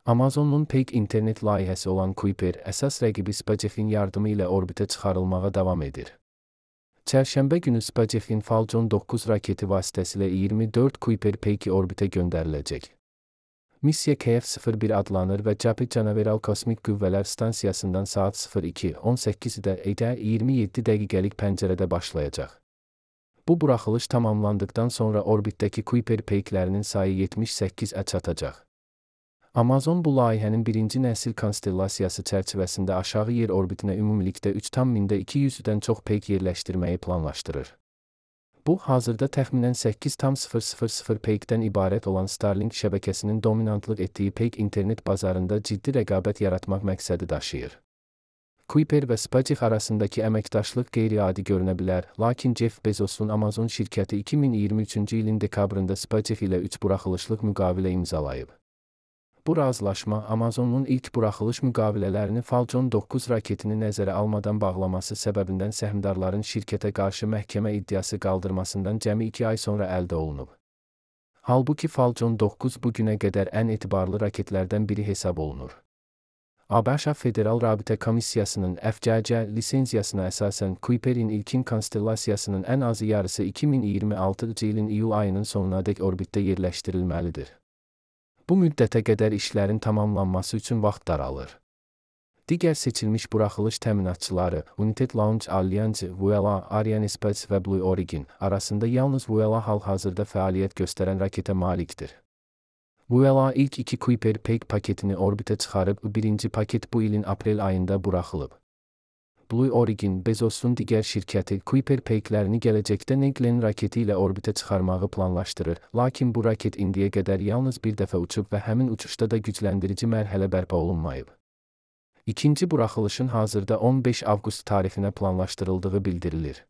Amazon'un peyk internet layihəsi olan Kuiper, əsas rəqibi SpaceX'in yardımı ilə orbitə çıxarılmağa davam edir. Çərşənbə günü SpaceX'in Falcon 9 raketi vasitəsilə 24 Kuiper peyki orbitə göndəriləcək. Missiya KF-01 adlanır və Japi Canaveral Kosmik Qüvvələr Stansiyasından saat 02:18-də 27 dəqiqəlik pəncərədə başlayacaq. Bu buraxılış tamamlandıqdan sonra orbitdəki Kuiper peyklərinin sayı 78-ə çatacaq. Amazon bu layihənin birinci nəsil konstellasiyası çərçivəsində aşağı yer orbitinə ümumilikdə 3,200-dən çox peyk yerləşdirməyi planlaşdırır. Bu, hazırda təxminən 8,000 peykdən ibarət olan Starlink şəbəkəsinin dominantlıq etdiyi peyk internet bazarında ciddi rəqabət yaratmaq məqsədi daşıyır. Kuiper və SpaceX arasındakı əməkdaşlıq qeyri-adi görünə bilər, lakin Jeff Bezos'un Amazon şirkəti 2023-cü ilin dekabrında SpaceX ilə 3 buraxılışlıq müqavilə imzalayıb. Bu razılaşma, Amazon'un ilk buraxılış müqavilələrini Falcon 9 raketini nəzərə almadan bağlaması səbəbindən səhmdarların şirkətə qarşı məhkəmə iddiası qaldırmasından cəmi 2 ay sonra əldə olunub. Halbuki Falcon 9 bu günə qədər ən etibarlı raketlərdən biri hesab olunur. ABŞ Federal Rabitə Komissiyasının FCC lisenziyasına əsasən Kuiper'in ilkin konstellasiyasının ən azı yarısı 2026-cı ilin iyul ayının sonunadək orbitdə yerləşdirilməlidir. Bu müddətə qədər işlərin tamamlanması üçün vaxt daralır. Digər seçilmiş buraxılış təminatçıları United Launch Alliance, Vuela, Arianespace və Blue Origin arasında yalnız Vuela hal-hazırda fəaliyyət göstərən raketə malikdir. Vuela ilk 2 Kuiper peyk paketini orbitə çıxarıb, birinci paket bu ilin aprel ayında buraxılıb. Blue Origin, Bezos'un digər şirkəti Kuiper peyklərini gələcəkdə New Glenn raketi ilə orbitə çıxarmağı planlaşdırır, lakin bu raket indiyə qədər yalnız bir dəfə uçub və həmin uçuşda da gücləndirici mərhələ bərpa olunmayıb. İkinci buraxılışın hazırda 15 avqust tarifinə planlaşdırıldığı bildirilir.